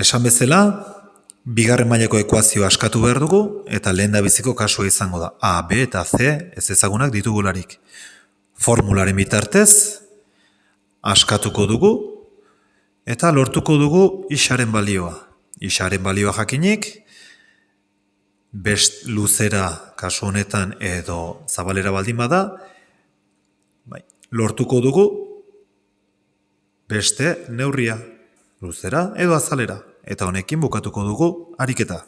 Esan bezala, bigarren mailako ekuazioa askatu behar dugu, eta lehendabiziko kasua izango da. A, B eta C ez ezagunak ditugularik. Formularen bitartez, askatuko dugu, eta lortuko dugu isaren balioa. Isaren balioa jakinik, best luzera kasu honetan edo zabalera baldin bada, lortuko dugu beste neurria, luzera edo azalera. Eta honekin bukatuko dugu ariketa.